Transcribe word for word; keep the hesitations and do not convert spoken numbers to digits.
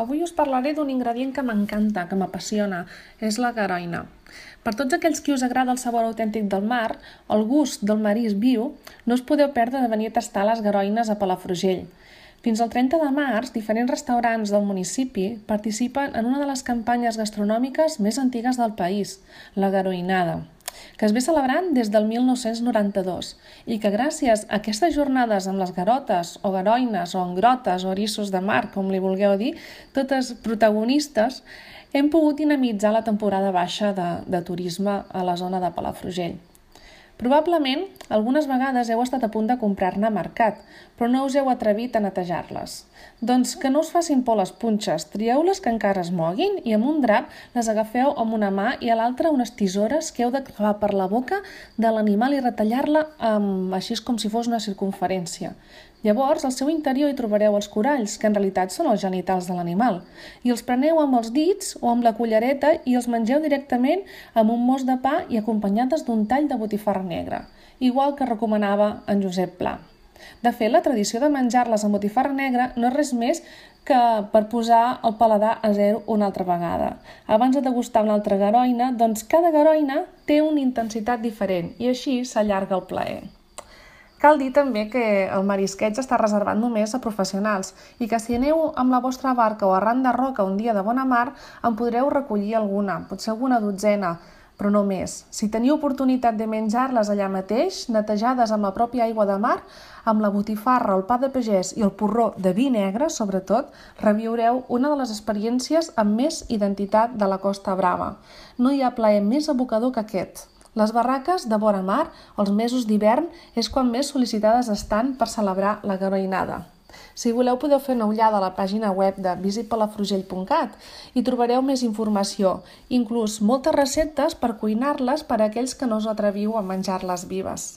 Avui us parlaré d'un ingredient que m'encanta, que m'apassiona, és la garoina. Per tots aquells qui us agrada el sabor autèntic del mar, el gust del marisc viu, no us podeu perdre de venir a tastar les garoines a Palafrugell. Fins al trenta de març, diferents restaurants del municipi participen en una de les campanyes gastronòmiques més antigues del país, la garoinada, que es ve celebrant des del mil nou-cents noranta-dos i que gràcies a aquestes jornades amb les garotes o garoines o engrotes o eriços de mar, com li vulgueu dir, totes protagonistes, hem pogut dinamitzar la temporada baixa de, de turisme a la zona de Palafrugell. Probablement, algunes vegades heu estat a punt de comprar-ne a mercat, però no us heu atrevit a netejar-les. Doncs que no us facin por les punxes, trieu-les que encara es moguin i amb un drap les agafeu amb una mà i a l'altra unes tisores que heu de clavar per la boca de l'animal i retallar-la um, així com si fos una circunferència. Llavors, al seu interior hi trobareu els coralls, que en realitat són els genitals de l'animal, i els preneu amb els dits o amb la cullereta i els mengeu directament amb un mos de pa i acompanyades d'un tall de botifarra negra, igual que recomanava en Josep Pla. De fet, la tradició de menjar-les amb botifarra negra no és res més que per posar el paladar a zero una altra vegada. Abans de degustar una altra garoina, doncs cada garoina té una intensitat diferent i així s'allarga el plaer. Cal dir també que el marisqueig està reservat només a professionals i que si aneu amb la vostra barca o arran de roca un dia de bona mar en podreu recollir alguna, potser alguna dotzena, però no més. Si teniu oportunitat de menjar-les allà mateix, netejades amb la pròpia aigua de mar, amb la botifarra, el pa de pagès i el porró de vi negre, sobretot, reviureu una de les experiències amb més identitat de la Costa Brava. No hi ha plaer més abocador que aquest. Les barraques de vora mar, els mesos d'hivern, és quan més sol·licitades estan per celebrar la garoinada. Si voleu podeu fer una ullada a la pàgina web de visit palafrugell punt cat i trobareu més informació, inclús moltes receptes per cuinar-les per a aquells que no us atreviu a menjar-les vives.